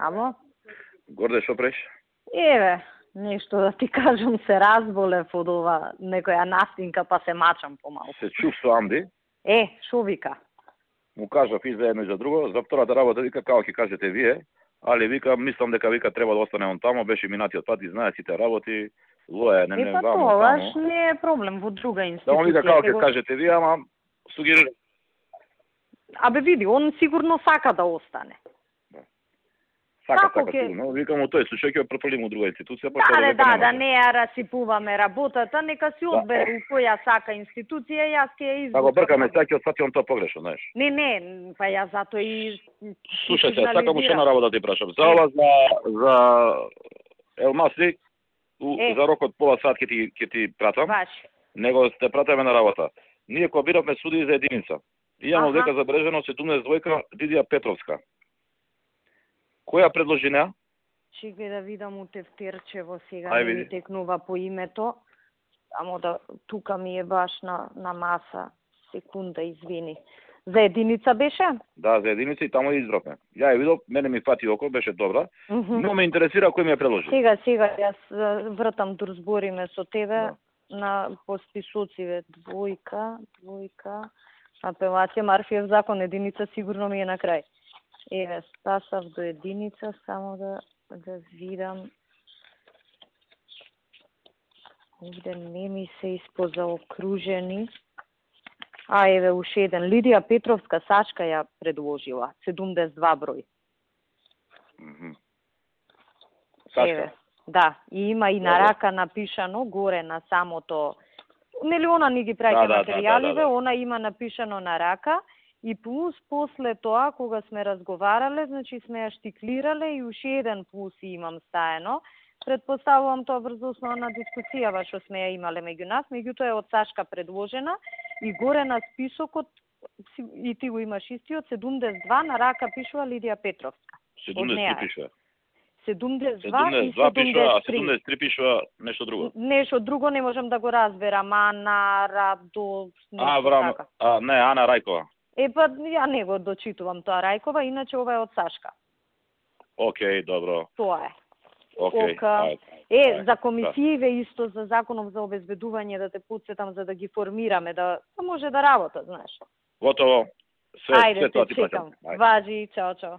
Амо? Горде, што преш? Еве, нешто да ти кажам, се разболев од ова некоја настинка, па се мачам помалку. Се чувствувам, ди? Шо вика? Му кажав и за едно и за друго, за втората работа вика како ќе кажете вие, али вика мислам дека вика треба да остане он тамо, беше минатиот пат и знае сите работи, лоја не па вамо тоа тамо. не е проблем во друга Да институција. он вика како ќе кажете вие, ама сугерира. Абе види, он сигурно сака да остане. Сака, сигурно. Викам, тој случај ќе префрлим у друга институција, Да, не ја расипуваме работата, нека си одбере у која сака институција, јас ќе ја извикам. Да го бркаме, саќе од сати он тоа погрешно, знаеш. Не, па ја затоа и слушајте, сакам уште една работа да ти прашам. За ова за Елмаси, за рокот пола сат ќе ти пратам. Баш. Него сте пратаме на работа. Ние кога биравме суди за единица. Имам дека забележено 72 Дидија Петровска. Која предложи неа? Чекај да видам у тефтерчево сега, не ми текнува по името. Само да, тука ми е баш на маса. Секунда, извини. За единица беше? Да, за единица и тамо избравме. Ја ја видов, мене ми фати око, беше добра. Но ме интересира кој ми ја предложи. Сега, јас вртам да разбориме со тебе на посписоциве. Двојка, апелација, Марфиев закон, единица сигурно ми е на крај. Еве, стасав до единица, само да видам. Овде не ми се испозаокружени. Еве, уште еден. Лидија Петровска, Сачка ја предложила. 72 број. Сачка? Да, и има и на рака напишано горе на самото... Нели она ни ги праќа материјаливе, она има напишано на рака. И плюс после тоа, кога сме разговарале, значи сме ја штиклирале и уште еден плюс имам стаено. Предпоставувам тоа врз основа на дискусијава што сме ја имале меѓу нас, меѓутоа е од Сашка предложена и горе на списокот, и ти го имаш истиот, 72 на рака пишува Лидија Петровска. 73 пишува. 72 и 73. А 73 пишува нешто друго. Нешто друго не можам да го разберам. Ана Радо... Не, Ана Рајкова. Па, ја не го дочитувам тоа Рајкова, иначе ова е од Сашка. Океј, добро. Тоа е. Океј. За комисииве исто, за законов за обезбедување, да те подсетам, за да ги формираме, да може да работат, знаеш. Готово. Ајде, те чекам. Важи, чао.